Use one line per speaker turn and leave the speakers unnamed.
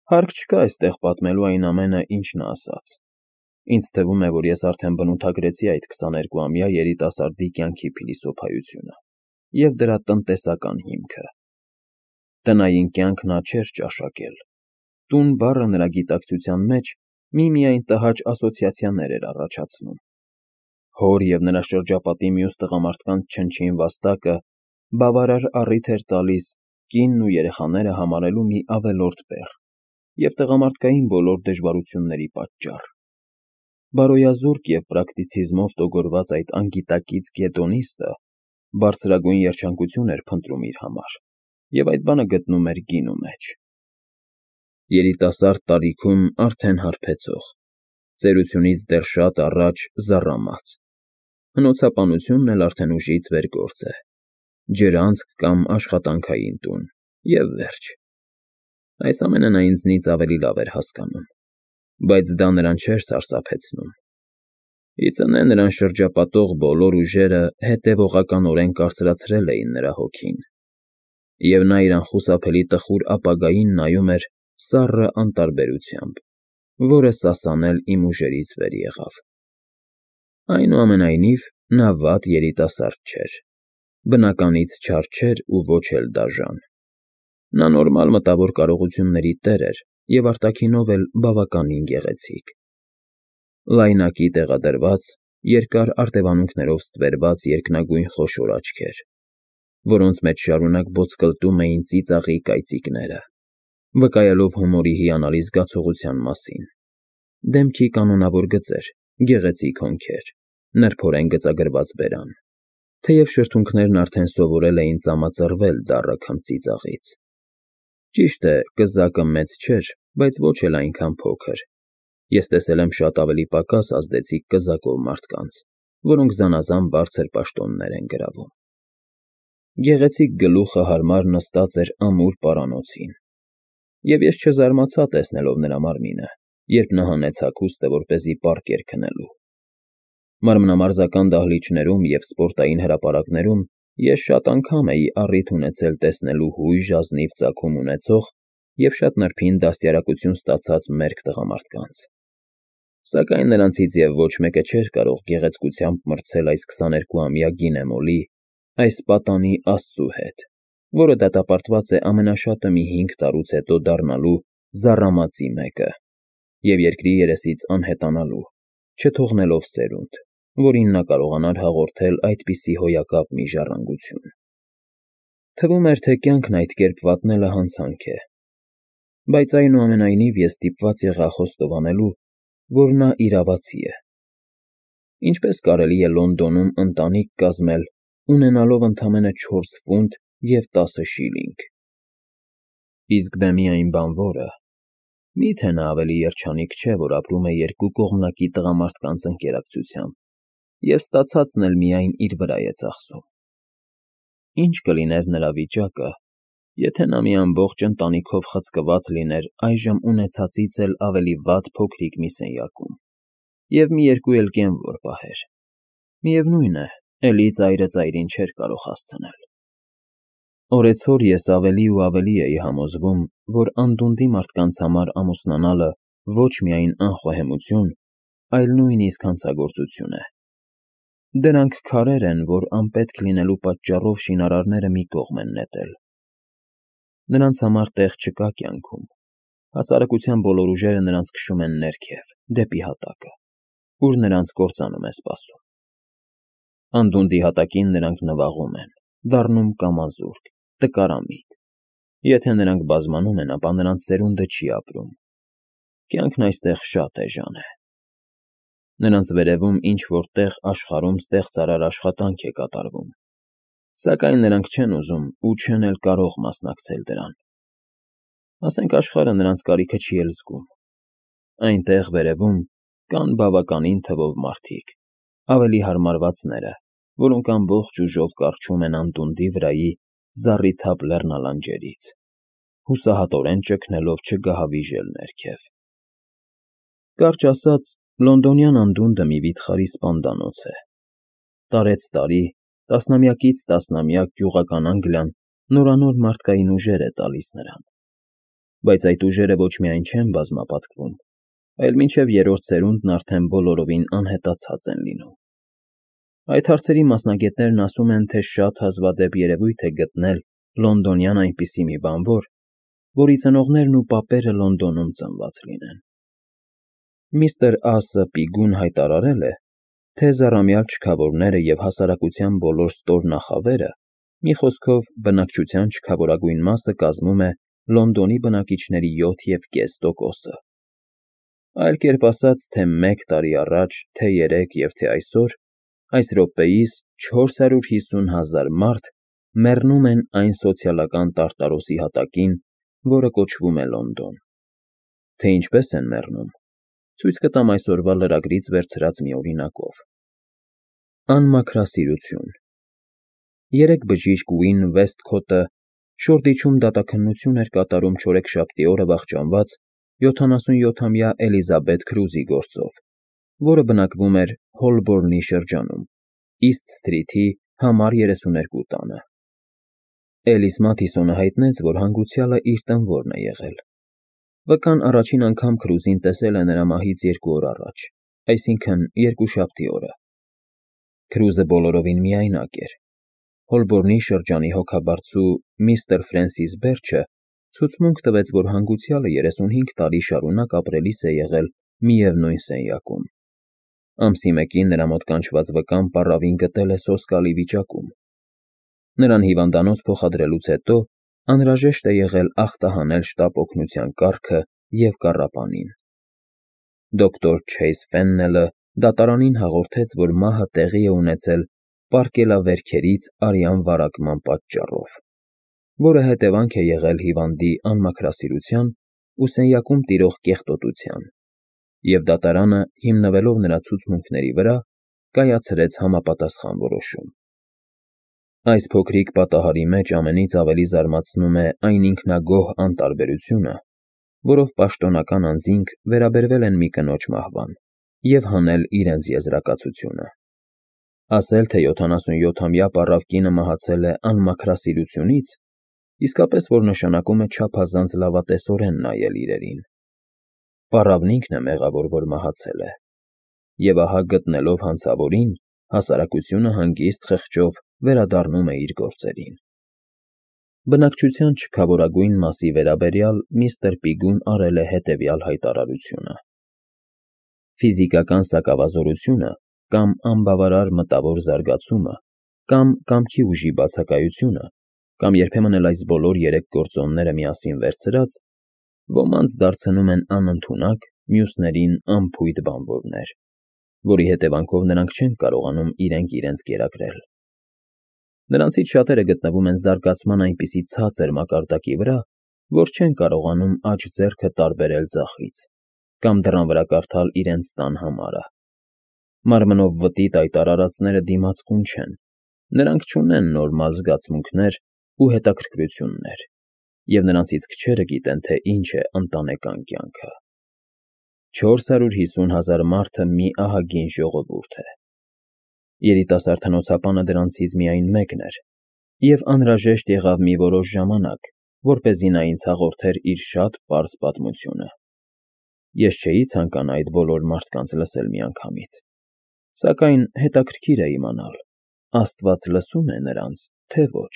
Հարկ չկա այստեղ պատմելու այն ամենը, ինչ նա ասաց։ Ինձ թվում է, որ ես արդեն բնութագրեցի այդ 22-ամյա երիտասարդի կյանքի փիլիսոփայությունը և դրա տնտեսական հիմքը։ Տնային կյանք նա չէր ճաշակել։ Տուն բառը նրա գիտակցության մեջ միմիայն տհաճ ասոցիացիաներ էր առաջացնում։ Հոր և նրա շրջապատի մյուս տղամարդկանց չնչին վաստակը բավարար առիթ էր տալիս կինն ու երեխաները համարելու մի ավելորդ բեռ և տղամարդկային բոլոր դժվարությունների պատճառ։ Բարոյազուրկ և պրակտիցիզմով տոգորված այդ անգիտակից գետոնիստը բարձրագույն երջանկություն էր փնտրում իր համար և այդ բանը գտնում էր գինու մեջ։ Երիտասարդ տարիքում արդեն հարբեցող, ծերությունից դեռ շատ առաջ զառամած, հնոցապանությունն էլ արդեն ուժից վեր գործ է, ջրանցք կամ աշխատանքային տուն, և վերջ։ Այս ամենը նա ինձնից ավելի լավ էր հասկանում, բայց դա նրան չէր սարսափեցնում։ Ի ծնե նրան շրջապատող բոլոր ուժերը հետևողականորեն կարծրացրել էին նրա հոգին, և նա իր անխուսափելի տխուր ապագային նայում էր սառը անտարբերությամբ, որը սասանել իմ ուժերից վեր եղավ։ Այնուամենայնիվ, նա վատ երիտասարդ չէր, բնականից չար չէր ու ոչ էլ դաժան։ Նա նորմալ մտավոր կարողությունների տեր էր և արտաքինով էլ բավականին գեղեցիկ։ Լայնակի տեղադրված, երկար արտևանունքներով ստվերված երկնագույն խոշոր աչքեր, որոնց մեջ շարունակ ոտսկլտում էին ծիծաղի կայծիկները, վկայելով հումորի հիանալի զգացողության մասին, դեմքի կանոնավոր գծեր, գեղեցիկ հոնքեր, նրբորեն գծագրված բերան, թեև շրթունքներն արդեն սովորել էին ծամածռվել դառը քմծիծաղից։ Ճիշտ է, կզակը մեծ չէր, բայց ոչ էլ այնքան փոքր։ Ես տեսել եմ շատ ավելի պակաս ազդեցիկ կզակով մարդկանց, որոնք զանազան բարձր պաշտոններ են գրավում։ Գեղեցիկ գլուխը հարմար նստած էր ամուր պարանոցին, և ես չզարմացա տեսնելով նրա մարմինը, երբ նա հանեց հագուստը, որպեսզի պառկեր քնելու։ Մանրամասնական դահլիճներում և սպորտային հրապարակներում ես շատ անգամ էի առիթ ունեցել տեսնելու հույժ ազնիվ ծագում ունեցող և շատ նրբին դաստիարակություն ստացած մերկ տղամարդկանց։ Սակայն նրանցից և ոչ մեկը չէր կարող գեղեցկությամբ մրցել այս 22-ամյա գինեմոլի, այս պատանի աստծու հետ, որը դատապարտված է ամենաշատը մի 5 տարուց հետո դառնալու զառամացի մեկը և երկրի երեսից անհետանալու, չթողնելով սերունդ, որին նա կարողանար հաղորդել այդպիսի հոյակապ մի ժառանգություն։ Թվում էր, թե կյանքն այդ կերպ վատնելը հանցանք է, բայց այնուամենայնիվ ես ստիպված եղա խոստովանելու, որ նա իրավացի է։ Ինչպես կարելի է Լոնդոնում ընտանիք կազմել, ունենալով ընդամենը 4 ֆունտ և 10 շիլինգ։ Իսկ դե միայն բանվորը, մի՞թե նա ավելի երջանիկ չէ, որ ապրում է երկու կողմնակի տղամարդկանց ընկերակցությամբ և ստացածն էլ միայն իր վրա է ծախսում։ Ինչ կլիներ նրա վիճակը, եթե նա մի ամբողջ ընտանիքով խցկված լիներ այժմ ունեցածից էլ ավելի վատ փոքրիկ մի սենյակում և մի երկու էլ կենվոր պահեր։ Միևնույն է, էլի ծայրը ծայրին չէր կարող հասցնել։ Օրեցօր ես ավելի ու ավելի էի համոզվում, որ անդունդի մարդկանց համար ամուսնանալը ոչ միայն անխոհեմություն, այլ նույնիսկ հանցագործություն է։ Դրանք քարեր են, որ անպետք լինելու պատճառով շինարարները մի կողմ են նետել։ Նրանց համար տեղ չկա կյանքում։ Հասարակության բոլոր ուժերը նրանց քշում են ներքև, դեպի հատակը, ուր նրանց կործանում է սպասում։ Անդունդի հատակին նրանք նվաղում են, դառնում կամազուրկ, տկարամիտ։ Եթե նրանք բազմանում են, ապա նրանց սերունդը չի ապրում։ Կյանքն այստեղ շատ էժան է։ Նրանց վերևում ինչ֊որ տեղ աշխարհում ստեղծարար աշխատանք է կատարվում, սակայն նրանք չեն ուզում ու չեն էլ կարող մասնակցել դրան։ Ասենք աշխարհը նրանց կարիքը չի էլ զգում։ Այնտեղ վերևում կան բավականին թվով մարդիկ, ավելի հարմարվածները, որոնք ամբողջ ուժով կառչում են անդունդի վրայի զառիթափ լեռնալանջերից, հուսահատորեն ճգնելով չգահավիժել ներքև։ Կարճ ասած, լոնդոնյան անդունդը մի վիթխարի սպանդանոց է։ Տարեցտարի, տասնամյակից տասնամյակ գյուղական Անգլիան նորանոր մարդկային ուժեր է տալիս նրան։ Բայց այդ ուժերը ոչ միայն չեն բազմապատկվում, այլ մինչև երրորդ սերունդն արդեն բոլորովին անհետացած են լինում։ Այդ հարցերի մասնագետներն ասում են, թե շատ հազվադեպ երևույթ է գտնել լոնդոնյան այնպիսի մի բանվոր, որի ծնողներն ու պապերը Լոնդոնում ծնված լինեն։ Միստր Ասը Պիգուն հայտարարել է, թե զառամյալ չքավորները և հասարակության բոլոր ստորնախավերը, մի խոսքով բնակչության չքավորագույն մասը կազմում է Լոնդոնի բնակիչների 7,5%-ը։ Այլ կերպ ասած, թե 1 տարի առաջ, թե 3 և թե այսօր, այս րոպեիս 450,000 մարդ մեռնում են այն սոցիալական տարտարոսի հատակին, որը կոչվում է Լոնդոն։ Թե ինչպես են մեռնում, ցույց կտամ այսօրվա լրագրից վերցրած մի օրինակով։ Անմաքրասիրություն։ 3 բժիշկ Ուին Վեսթքոթը Շորդիչում դատաքննություն էր կատարում չորեքշաբթի օրը վախճանված 77-ամյա Էլիզաբեթ Քրուզի գործով, որը բնակվում էր Հոլբորնի շրջանում, Իսթ Սթրիթի համար 32 տանը։ Էլիս Մաթիսոնը հայտնեց, որ հանգուցյալը իր տնօրն է եղել։ Վկան առաջին անգամ Քրուզին տեսել է նրա մահից 2 օր առաջ, այսինքն երկուշաբթի օրը։ Քրուզը բոլորովին միայնակ էր։ Հոլբորնի շրջանի հոգաբարձու միստր Ֆրենսիս Բերջը ցուցմունք տվեց, որ հանգուցյալը 35 տարի շարունակ ապրելիս է եղել միևնույն սենյակում։ Ամսի 1-ին նրա մոտ կանչված վկան պառավին գտել է սոսկալի վիճակում։ Նրան հիվանդանոց փոխադրելուց հետո անհրաժեշտ է եղել ախտահանել շտապ օգնության կառքը և կառապանին։ Դոկտոր Չեյզ Ֆեննելը դատարանին հաղորդեց, որ մահը տեղի է ունեցել պարկելավերքերից արյան վարակման պատճառով, որը հետևանք է եղել հիվանդի անմաքրասիրության ու սենյակում տիրող կեղտոտության, և դատարանը, հիմնվելով նրա ցուցմունքների վրա, կայացրեց համապատասխան որոշում։ Այս փոքրիկ պատահարի մեջ ամենից ավելի զարմացնում է այն ինքնագոհ անտարբերությունը, որով պաշտոնական անձինք վերաբերվել են մի կնոջ մահվան և հանել իրենց եզրակացությունը։ Ասել, թե 77-ամյա պառավ կինը մահացել է անմաքրասիրությունից, իսկապես որ նշանակում է չափազանց լավատեսորեն նայել իրերին։ Պառավն ինքն է մեղավոր, որ մահացել է, և ահա գտնելով հանցավորին, հասարակությունը հանգիստ խղճով վերադառնում է իր գործերին։ Բնակչության չքավորագույն մասի վերաբերյալ միստր Պիգուն արել է հետևյալ հայտարարությունը. Ֆիզիկական սակավազորությունը կամ անբավարար մտավոր զարգացումը կամ կամքի ուժի բացակայությունը կամ երբեմն էլ այս բոլոր 3 գործոնները միասին վերցրած ոմանց դարձնում են անընդունակ, մյուսներին անփույթ բանվորներ, որի հետևանքով նրանք չեն կարողանում իրենց կերակրել։ Նրանցից շատերը գտնվում են զարգացման այնպիսի ցածր մակարդակի վրա, որ չեն կարողանում աջ ձեռքը տարբերել ձախից կամ դռան վրա կարդալ իրենց տան համարը։ Մարմնով վտիտ այդ արարածները դիմացկուն չեն, նրանք չունեն նորմալ զգացմունքներ ու հետաքրքրություններ, և նրանցից քչերը գիտեն, թե ինչ է ընտանեկան կյանքը։ 450,000 մարդը մի ահագին ժողովուրդ է։ Երիտասարդ հնոցապանը դրանցից միայն մեկն էր, և անհրաժեշտ եղավ մի որոշ ժամանակ, որպեսզի նա ինձ հաղորդեր իր շատ պարզ պատմությունը։ Ես չէի ցանկանա այդ բոլոր մարդկանց լսել միանգամից, սակայն հետաքրքիր է իմանալ, Աստված լսո՞ւմ է նրանց, թե ոչ։